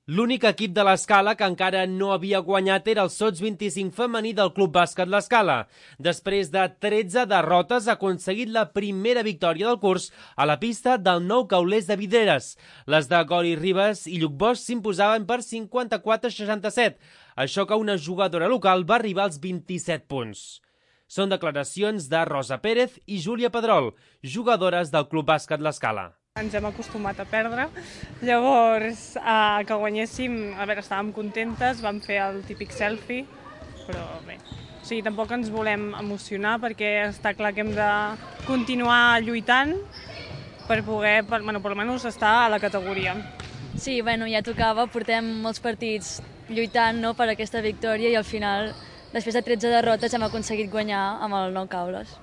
L'únic equip de l'Escala que encara no havia guanyat era el Sots 25 femení del Club Bàsquet l'Escala. Després de 13 derrotes ha aconseguit la primera victòria del curs a la pista del Nou Caulers de Vidreres. Les de Gori Ribas i Lluc Bosch s'imposaven per 54-67, això que una jugadora local va arribar als 27 punts. Són declaracions de Rosa Pérez i Júlia Pedrol, jugadores del Club Bàsquet l'Escala. Ens hem acostumat a perdre, llavors que guanyéssim, a veure, estàvem contentes, vam fer el típic selfie, però bé, o sigui, tampoc ens volem emocionar perquè està clar que hem de continuar lluitant per poder, per almenys estar a la categoria. Sí, bueno, ja tocava, portem molts partits lluitant per aquesta victòria i al final, després de 13 derrotes, hem aconseguit guanyar amb el Nou Caules.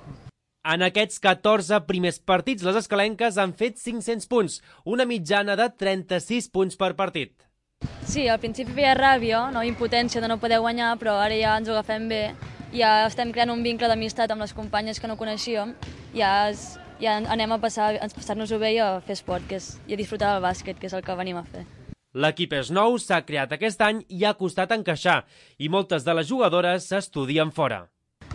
En aquests 14 primers partits, les escalenques han fet 500 punts, una mitjana de 36 punts per partit. Sí, al principi feia ràbia, impotència de no poder guanyar, però ara ja ens ho agafem bé. Ja estem creant un vincle d'amistat amb les companyes que no coneixíem. Ja anem a passar-nos-ho bé i a fer esport, i a disfrutar del bàsquet, que és el que venim a fer. L'equip és nou, s'ha creat aquest any i ha costat encaixar, i moltes de les jugadores s'estudien fora.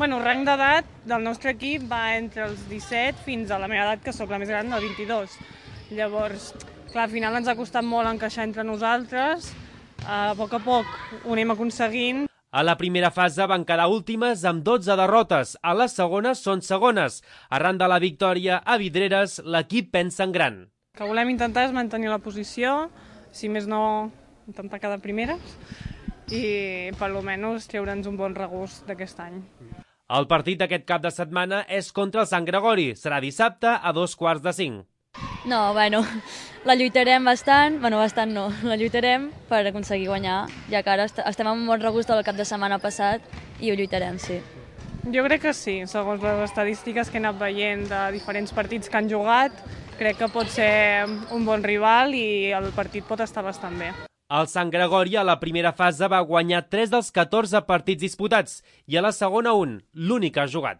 El rang d'edat del nostre equip va entre els 17 fins a la meva edat, que sóc la més gran, del 22. Llavors, clar, al final ens ha costat molt encaixar entre nosaltres. A poc ho anem aconseguint. A la primera fase van quedar últimes amb 12 derrotes. A la segona són segones. Arran de la victòria a Vidreres, l'equip pensa en gran. El que volem intentar és mantenir la posició, si més no, intentar quedar primeres i per almenys treure'ns un bon regust d'aquest any. El partit d'aquest cap de setmana és contra el Sant Gregori. Serà dissabte a 4:45. La lluitarem bastant, la lluitarem per aconseguir guanyar, ja que ara estem amb un bon regust del cap de setmana passat i ho lluitarem, sí. Jo crec que sí, segons les estadístiques que he anat veient de diferents partits que han jugat, crec que pot ser un bon rival i el partit pot estar bastant bé. El Sant Gregori a la primera fase va guanyar 3 dels 14 partits disputats i a la segona l'únic que ha jugat.